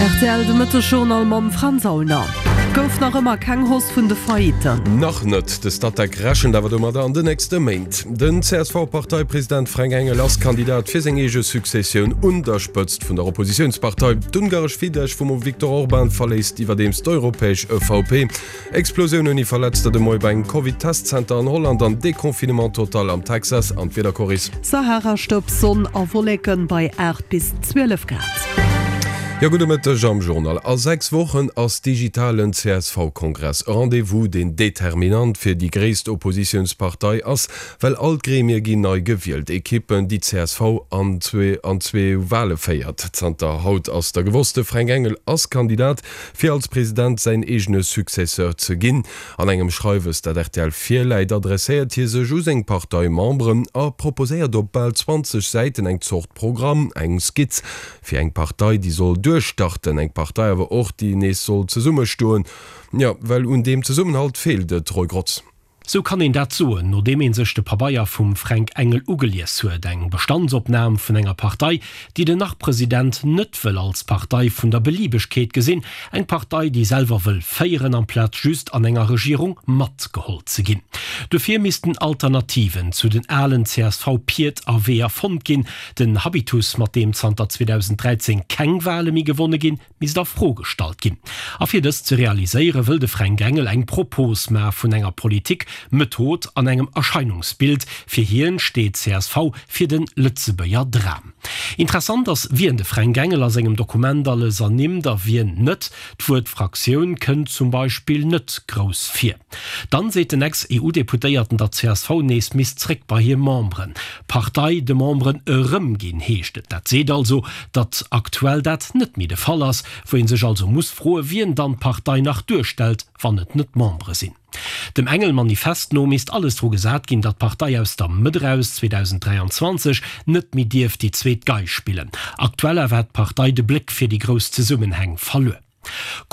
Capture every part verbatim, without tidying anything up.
Rtl de Mëttesjournal mam Franz Aulner. Gouf nach ëmmer keng Hausse vun de Faillitten. Nach net, de Statec rechent awer domadder an den nächste Méint. Den C S V-Parteipresident Fränk Engel ass Kandidat fir seng eege Successioun un der Spëtzt vun der Oppositiounspartei. D'ungaresch Fidesz vum Viktor Orban verléisst iwwerdeems d'europäesch E V P. Explosioun ouni Verletzter de Moie bei engem Covid-Testzenter an Holland an Deconfinement total am Texas an d'Wiedercoris. Saharastëbs, Sonn a Wolleken bei aacht bis zwielef Grad. Jo, gudde Mëtteg am Journal. A sechs Wochen ass digitalen C S V-Kongress, e Rendez-vous, deen determinant fir déi gréisst Oppositiounspartei ass, well all d'Gremie ginn nei gewielt, Ekippen, déi d'C S V an zwee an zwee Wale féiert. Zanter haut ass da gewosst, de Fränk Engel ass Kandidat, fir als President säin eegene Successeur ze ginn. An engem Schreiwes, dat R T L virläit, adresséiert hie sech u seng Parteimemberen a proposéiert op bal zwanzeg Säiten eng Zort Programm, eng Skizz fir eng Partei, déi soll duerchstarten, eng Partei awer och, déi nees soll zesummestoen. Jo, well un deem Zesummenhalt feelt et, Roy Grotz. Sou kann een dat soen, nodeem een sech de Pabeier vum Fränk Engel ugelies huet, eng Bestandsopnam vun enger Partei, déi den Nach-President net wëll als Partei vun der Beliebegkeet gesinn, eng Partei, déi selwer wëll féieren, amplaz just an enger Regierung matgeholl ze ginn. Dofir missten Alternativen zu den alen C S V-Pied a Weeër fonnt ginn. Den Habitus, mat deem zanter zweedausend dräizéng keng Wale méi gewonne ginn, misst a Fro gestallt ginn. A fir dëst ze realiséiere wëll de Fränk Engel eng Propos maache vun enger Politik, Method an engem Erscheinungsbild. Fir hien steet C S V fir de Lëtzebuerger Dram. Interessant ass, wien de Fränk Engel a sengem Dokument alles ernimmt a wien net. D'Wuert Fraktioun kënnt zum Beispill net grouss vir. Dann seet den Ex-E U-Deputéierten, datt C S V nees misst zréck bei hir Memberen. D'Partei de Memberen erëmginn, heescht et. Dat seet also, datt aktuell dat net méi de Fall ass, wou ee sech also muss froen, wien dann d'Partei nach duerstellt, wann et net d'Membere sinn. Dem Engel-Manifest no misst alles dru gesat ginn, datt d'Partei aus der Mëtt eraus zweedausend dräianzwanzeg net méi dierf déi zweet Gei spillen. Aktuell awer hätt d'Partei de Bléck fir déi grouss Zesummenhäng verluer.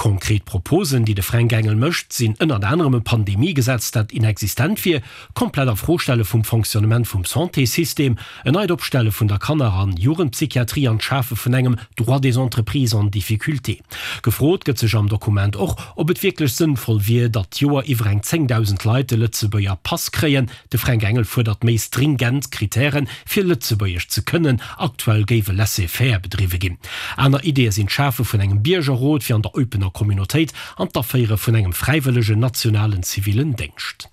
Konkret Proposen, déi de Fränk Engel mécht, sinn ënnert anerem e Pandemie-Gesetz, dat inexistent wier, komplett a-Fro-stelle vum Fonctionnement vum Santéssystem, en neit Opstelle vun der Kanner an Jugendpsychiatrie an d'Schafe vun engem Droit des entreprises en difficulté. Gefrot gëtt sech am Dokument och, ob et wierklech sënnvoll wier, datt d'Joer iwwer eng zéngdausend Leit de Lëtzebuerger Pass kréien. De Fränk Engel fuerdert méi stringent Krittären, fir Lëtzebuergesch ze kënnen, aktuell géif e Laisser-faire bedriwwe ginn. Aner Ideeë sinn d'Schafe vun engem Biergerrot fir an der Eupener Communautéit an d'Aféiere vun engem fräiwëllegen nationalen zivilen Déngscht.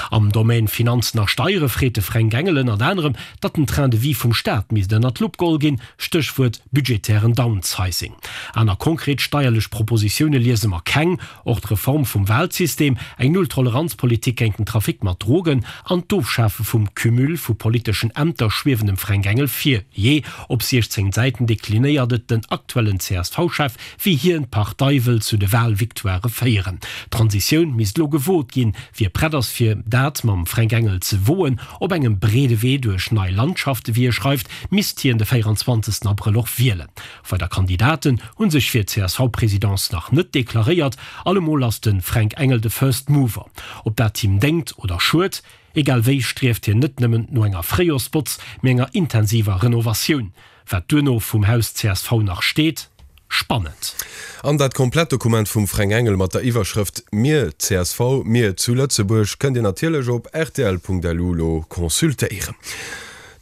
Am Domaine Finanzen a Steiere freet de Fränk Engel ënnert anerem, datt den Train de vie vum Staat misst ënnert d'Lupp geholl ginn, Stéchwuert budgetären Downsizing. Aner konkret steierlech Propositioune liese mer keng. Och d'Reform vum Walsystem, eng Null-Toleranz-Politik géint den Trafic mat Drogen an d'Ofschafe vum Cumul vu politeschen Ämter schwiewen dem Fränk Engel vir. Jee, op siechzéng Säiten deklinéiert et den aktuellen C S V-Chef, wéi hien d'Partei wëll zu de Walvictoirë féieren. D'Transitioun misst elo gewot ginn. Wie prett ass fir dat mam Fränk Engel ze woen, op engem breede Wee duerch nei Landschaften, wéi e schreift, misst hien de véieranzwanzegsten Abrëll och wielen. Weider Kandidaten hu sech fir d'C S V-Presidence nach net deklaréiert. Allemol ass de Fränk Engel de First Mover. Ob dat him déngt oder schued, egal wéi strieft hien net nëmmen no enger Fréijorsbotz, mee enger intensiver Renovatioun. Wat duerno vum Haus C S V nach steet? Spannend. An dat komplett Dokument vum Fränk Engel mat der Iwwerschrëft Mir C S V, mir zu Lëtzebuerg kënnt Dir natierlech op R T L Punkt L U lo consultéieren.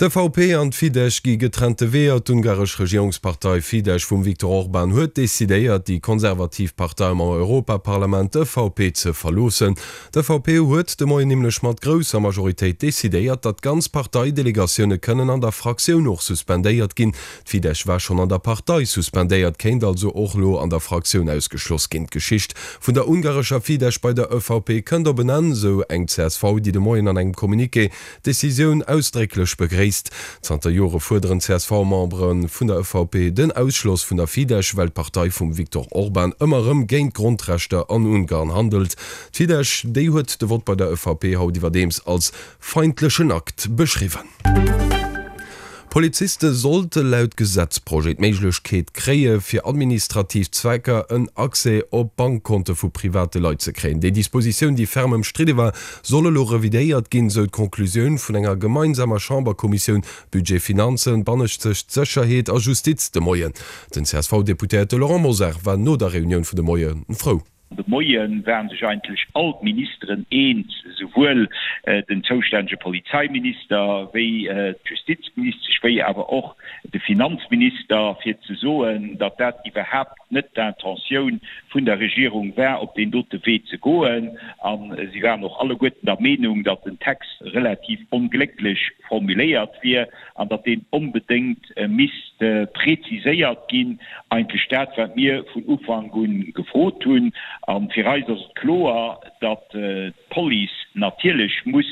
D'E V P an d'Fidesz gi getrennte Weeër. D'ungaresch Regierungspartei Fidesz vum Viktor Orban huet decidéiert, déi konservativ Partei am Europaparlament, d'E V P, ze verloossen. D'E V P huet de Moien nämlech mat grousser Majoritéit decidéiert, datt ganz Parteidelegatioune kënnen an der Fraktioun och suspendéiert ginn. D'Fidesz war schonn an der Partei suspendéiert, kéint also och elo an der Fraktioun ausgeschloss ginn. D'Geschicht vun der ungarescher Fidesz bei der E V P kënnt op en Enn, sou eng C S V, déi de Moien an engem Communiqué d'Decisioun ausdrécklech begréisst. Zanter Jore fuerderen C S V-Membere vun der E V P den Ausschloss vun der Fidesz, well d'Partei vum Viktor Orban ëmmer erëm géint d'Grondrechter an Ungarn handelt. D'Fidesz, déi huet de Vott bei der E V P haut iwwerdeems als feindlechen Akt beschriwwen. Poliziste sollte laut Gesetzprojet d'Méiglechkeet kréie fir administrativ Zwecker en Accès op Bankkonte vu private Leit ze kréien. Déi Dispositioun, déi ferm ëmstridde war, soll elo revidéiert ginn, sou d'Konklusioun vun enger gemeinsamer Chamberkommissioun Budget, Finanzen, Bannescht Sécherheet a Justiz de Moien. Den C S V-Deputéierte Laurent Mosar war no der Reunioun vun de Moie frou. De Moie waren sech eigentlech all d'Ministeren eens, souwuel den zoustännege Polizeiminister wéi d'Justizministesch wéi awer och de Finanzminister, fir ze soen, datt dat iwwerhaapt net d'Intentioun vun der Regierung war, op deen dote Wee ze goen. A si waren och alleguerten der Meenung, datt den Text relativ onglécklech formuléiert wier an datt deen onbedéngt misst preziséiert ginn, eigentlech dat, wat mir vun Ufank u gefrot hunn. A fir eis ass et kloer, datt d'Police natierlech muss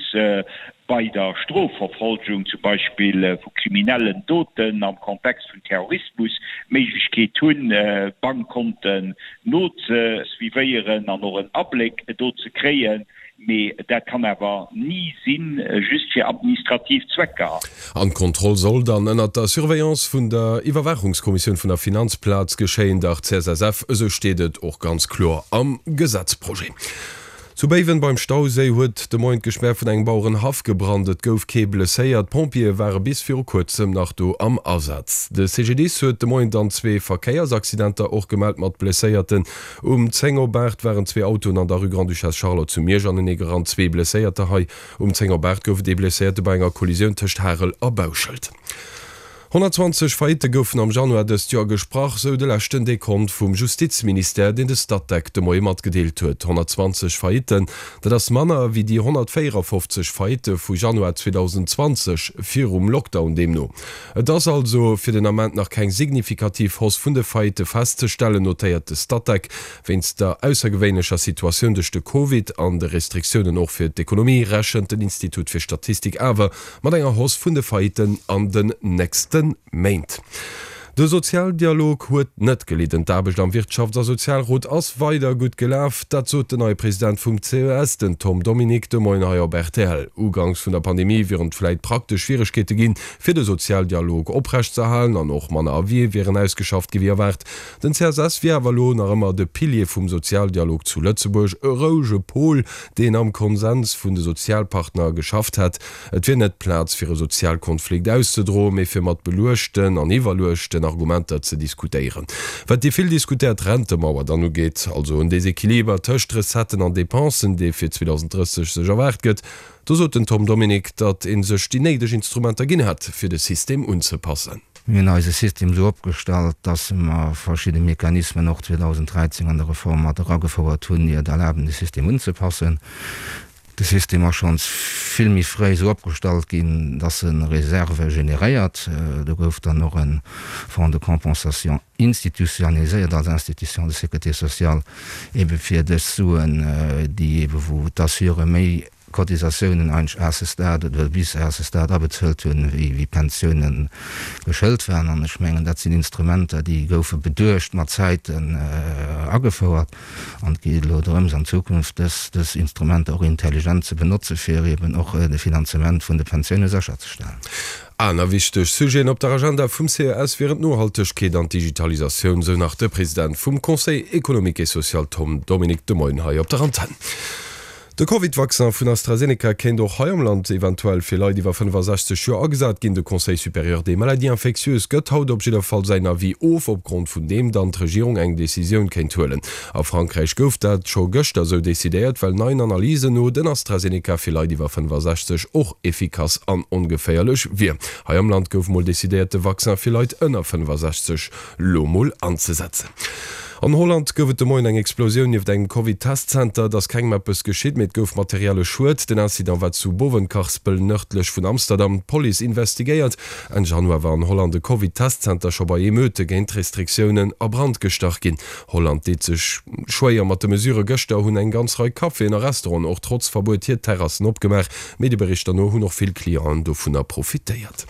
bei der Strofverfolgung zum Beispill vu kriminellen Doten am Kontext vun Terrorismus d'Méiglechkeet hunn, Bankkonten nozesuivéieren an och en Abléck do ze kréien. Mee dat kann awer ni sinn just fir administrativ Zwecker. An d'Kontroll soll dann ënnert der Surveillance vun der Iwwerwaachungskommissioun vun der Finanzplaz geschéien, der C S S F, esou steet et och ganz kloer am Gesetzprojet. Zu Béiwen beim Stauséi huet de Moien d'Gespär vun engem Bauerenhaff gebrannt. Et gouf kee blesséiert. D'Pompjeeë ware bis viru kuerzem nach do am Asaz. De C G D I S huet de Moien dann zwee Verkéiersaccidenter och gemellt mat Blesséierten. Um zéng op aacht waren zwee Autoen an der Rue Grande-Duchesse Charlotte zu Miersch anenee gerannt, zwee Blesséierter hei. Um zéng op aacht gouf et ee Blesséierte bei enger Kollisioun tëscht Harel a Bauschelt. Honnertzwanzeg Faillite goufen am Januar dëst Joer gesprach, sou de leschten Dekont vum Justizministère, deen de Statec de Moie matgedeelt huet. Honnertzwanzeg Faillitten, dat ass manner wéi déi honnertvéierafofzeg Faillitte vu Januar zweedausendenzwanzeg virum Lockdown deemno. Et ass also fir den Ament nach keng signifikativ Hausse vun de Faillitte festzestellen, notéiert de Statec. Wéinst der aussergewéinlecher Situatioun duerch de Covid an de Restriktiounen och fir d'Ekonomie rechent den Institut fir Statistik awer mat enger Hausse vun de Faillitten an den nächste Méint. De Sozialdialog huet net gelidden, d'Aarbecht am Wirtschafts a Sozialrot ass weider gutt gelaf. Dat sot den neie President vum C E S, den Tom Dominique, de Moien hei op R T L. Uganks vun der Pandemie wieren et vläit praktesch Schwieregkeete ginn, fir de Sozialdialog oprecht ze erhalen an och manner Avisë wieren ausgeschafft gi wéi erwaart. Den C S S wier awer elo nach ëmmer de Pilier vum Sozialdialog zu Lëtzebuerg, e rouege Pol, deen am Konsens vun de Sozialpartner geschafft hätt. Et wier net d'Plaz fir e Sozialkonflikt auszedroen, mee fir mat beluechten an iwwerluechten Argumenter ze diskutéieren. Wat déi vill diskutéiert Rentemauer dann ugeet, also en Desequiliber tëscht Recetten an Depensen, dee fir zweedausendrësseg sech erwaart gëtt, do sot den Tom Dominique, datt ee sech déi néideg Instrumenter ginn hätt, fir de System unzepassen. Mir hunn eise System esou opgestallt, datt mer verschidde Mechanismen och zweedausendräizéng an der Reform mat eragefouert hunn, déi et erlaben, de System unzepassen. De System ass schonns vill méi fréi esou opgestallt ginn, dass e Reserve generéiert. Do gouf dann och e Fonds de compensation institutionnaliséiert als Institution de sécurité sociale, ebe fir dës Suen, déi ebe wou d'Assuréë méi Cotisatiounen eigentlech à ce stade oder bis à ce stade abezuelt hunn, wéi wéi Pensiounen geschëlt waren. An ech mengen, dat sinn Instrumenter, déi goufe beduecht mat Zäiten agefouert. An et geet elo drëms, an Zukunft dës dës Instrumenter och intelligent ze benotze fir eben och de Finanzement vun de Pensioune sécherzestellen. Aner wichteg Sujeten op der Agenda vum C E S wieren d'Nohaltegkeet an d'Digitalisatioun, sou nach de President vum Conseil économique et social Tom Dominique de Moien hei op der Antenn. De Covid-Vaccin vun AstraZeneca kéint och hei am Land eventuell fir Leit iwwer fënnefasechzeg Joer agesat ginn. De Conseil supérieur des maladies infectieuses gëtt haut op jidder Fall säin Avis of, opgrond vun deem dann d'Regierung eng Decisioun kéint huelen. A Frankräich gouf dat scho gëschter esou decidéiert, well neien Analysen no den AstraZeneca fir Leit iwwer fënnefasechzeg och effikass an ongeféierlech wier. Hei am Land gouf mol decidéiert, de Vaccin fir Leit ënner fënnefasechzeg lo mol anzesetzen. An Holland gouf et de Moien eng Explosioun nieft engem Covid-Testzenter. Et ass kengem eppes geschitt, mee et gouf materielle Schued. Den Incident war zu Bovenkarspel nërdlech vun Amsterdam. D'Police investigéiert. Enn Januar war an Holland e Covid-Testzenter scho bei Emeute géint d'Restriktiounen a Brand gestach ginn. Holland deet sech schwéier mat de Mesurë. Gëschter hunn eng ganz Rei Caféen a Restauranten och trotz Verbuet hir Terrassen opgemaach. Medieberichter no hunn och vill Clienten dovunner profitéiert.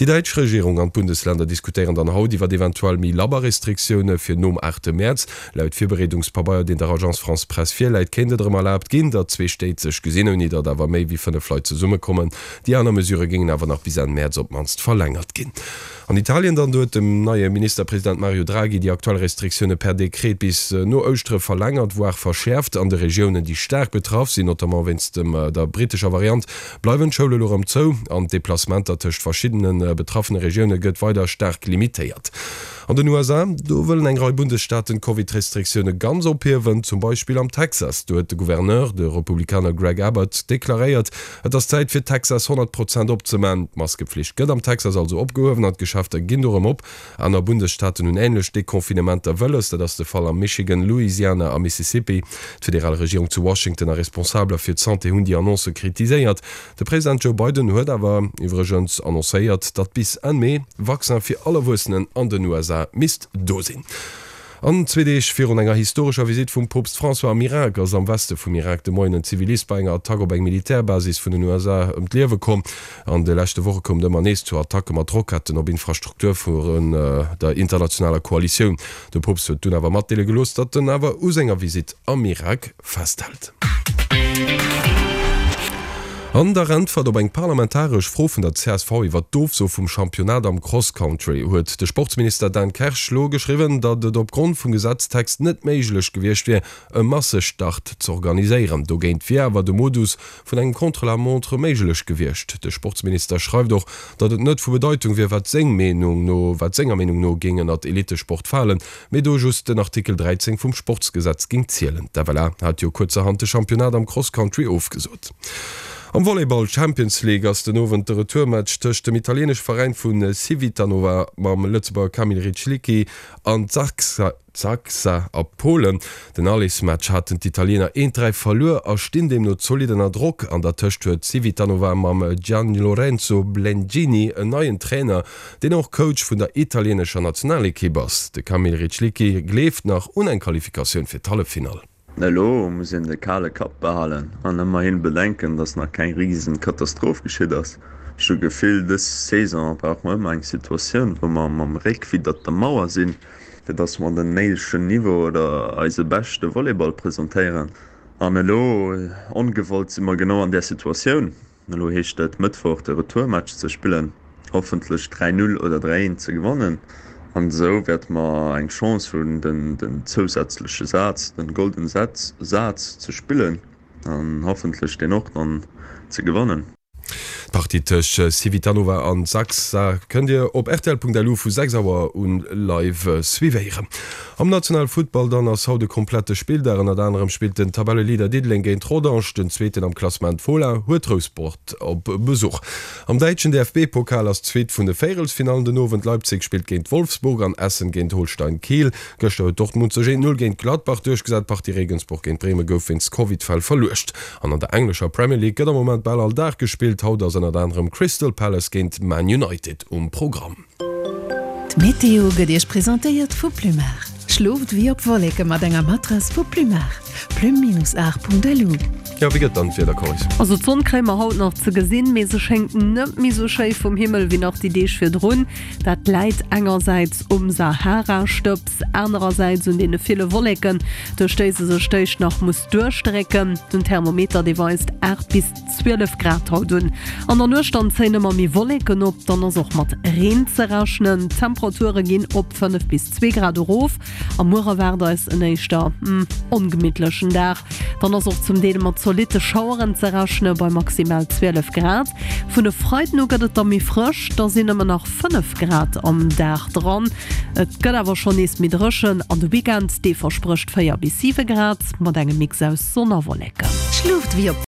Déi däitsch Regierung an d'Bundesländer diskutéieren dann haut iwwer eventuell méi labber Restriktioune fir nom aachte Mäerz. Mäerz. Laut Virbereedungspabeier, deen der Agence France-Presse virläit, kéint et erëm erlaabt ginn, datt zwee Stéit sech gesinn, ouni datt awer méi wéi fënnef Leit zesummekommen. Déi aner Mesurë géingen awer nach bis Enn Mäerz op d'mannst verlängert ginn. An Italien dann, do huet dem neie Ministerpresident Mario Draghi déi aktuell Restriktioune per Dekret bis no Ouschtere verlängert, voire verschäerft. An de Regiounen, déi staark betraff sinn, notamment wéinst der brittescher Variant, bleiwen d'Schoule elo erëm zou an d'Deplacementer tëscht verschiddene betraffene Regioune gëtt weider staark limitéiert. An den U S A, do wëllen eng Rei Bundesstaaten d'Covid-Restriktioune ganz ophiewen, zum Beispill am Texas. Do huet de Gouverneur, de Republikaner Greg Abbott, deklaréiert, Et ass Zäit fir Texas honnert Prozent opzemaachen. D'Maskepflicht gëtt am Texas also opgehuewen an d'Geschäfter ginn do erëm op. Aner Bundesstaaten hunn änlech Deconfinementer wëlles. Dat ass de Fall am Michigan, Louisiana a Mississippi. D'federal Regierung zu Washington a Responsabeler fir d'Santé hunn déi Annoncë kritiséiert. De President Joe Biden huet awer iwwregens annoncéiert, datt bis Enn Mee Vaccin fir all Erwuessenen an den U S A misst do sinn. An zwee Deeg virun enger historescher Visitt vum Poopst François am Irak ass am Weste vum Irak de Moien en Zivilist bei enger Attack op eng Militärbasis vun den U S A ëm d'Liewe komm. An de leschte Woche koum et ëmmer nees zu Attacke mat Roketten op Infrastruktur vun der internationaler Koalitioun. De Poopst huet dunn awer matdeele gelooss, datt en awer u senger Visitt am Irak festhält. An der Äntwert op eng parlamentaresch Fro vun der C S V iwwer d'Ofso vum Championnat am Cross-Country huet de Sportsminister Dan Kersch lo geschriwwen, datt et opgrond vum Gesetztext net méiglech gewiescht wier, e Massestart z'organiséieren. Dogéint wier awer de Modus vun engem Contre-la-montre méiglech gewiescht. De Sportsminister schreift och, datt et net vu Bedeitung wier, wat seng Meenung no, wat senger Meenung no géing ënnert Elitesport falen, mee do just den Artikel dräizéng vum Sportsgesetz géing zielen. D'F L A hat jo kuerzerhand de Championnat am Cross-Country ofgesot. Am Volleyball Champions League ass den Owend de Retourmatch tëscht dem italieenesche Veräin vu Civitanova mam Lëtzebuerger Kamil Rychlicki an Zaksa a Polen. Den Allesmatch haten d'Italiener eent dräi verluer a stinn deemno zolidd ënner Drock. An der Tëscht huet Civitanova mam Gianlorenzo Blengini en neien Trainer, deen och Coach vun der italieenescher Nationalekipp ass. De Kamil Rychlicki gleeft nach un eng Qualifikatioun fir d'Halleffinall. Elo muss een de kale Kapp behalen an ëmmerhin bedenken, datt nach keng Riesenkatastroph geschitt ass. Ech hu Gefill, dës Saison brauche mer ëmmer eng Situatioun, wou mer mam Réck widder der Mauer sinn, fir datt mer den néidegen Niveau oder eise beschte Volleyball presentéieren. An elo, ongewollt, si mer genau an där Situatioun. Elo heescht et Mëttwoch de Retourmatch ze spillen, hoffentlech dräi null oder dräi eent ze gewannen. An esou wäerte mer eng Chance hunn, den, den zousätzleche Saz, den Golden Saz, Saz ze spillen an hoffentlech deen och dann ze gewannen. D'Partie tëscht Civitanova an Zaksa kënnt Dir op R T L punkt L U vu sechs Auer un live suivéieren. Am nationale Futtball dann ass haut e komplette Spilldag. Ënnert anerem spillt den Tabelleleader Diddeleng géint Rodange, den zweeten am Klassement Fola huet Rouspert op Besuch. Am däitschen D F B-Pokal ass d'zweet vun de Véierelsfinallen den Owend. Leipzig spillt géint Wolfsburg an Essen géint Holstein Kiel. Gëschter huet Dortmund sech eent null géint Gladbach duerchgesat. D'Partie Regensburg géint Bremen gouf wéinst Covid-Fäll verluecht. An an der englescher Premier League gëtt am Moment bal all Dag gespillt. Haut ass ënnert anerem Crystal Palace géint Man United um Programm. D'Meteo gëtt Iech presentéiert vu Plumar. Schlooft wéi op Wolleke mat enger Matrass vu Plumar. Plum-aar punkt L U. Ja, wéi gëtt dann d'Wieder, Coris? Also d'Sonn kréie mer haut nach ze gesinn, mee se schéngt net méi sou schéi vum Himmel wéi nach déi Deeg virdrun. Dat läit engersäits um Sahara-Stëbs, anerersäits un deene ville Wolleken, duerch déi se sech d'éischt nach muss duerchdrécken. Den Thermometer, dee weist aacht bis zwielef Grad haut un. An der Nuecht dann zéien ëmmer méi Wolleken op, dann ass och mat Reen ze rechnen. D'Temperature ginn op fënnef bis zwee Grad erof. Am Muer erwaart eis en éischter, hm, ongemittlechen Dag. Dann ass och zum Deel mat zolitte Schaueren ze rechnen, bei maximal zwielef Grad. Vun e Freiden u gëtt et da méi frësch, da sinn ëmmer nach fënnef Grad am Dag dran. Et gëtt awer schonn nees méi dréchen an de Weekend, dee versprécht véier bis siwe Grad mat engem Mix aus Sonn a Wolleken. Schlooft wéi op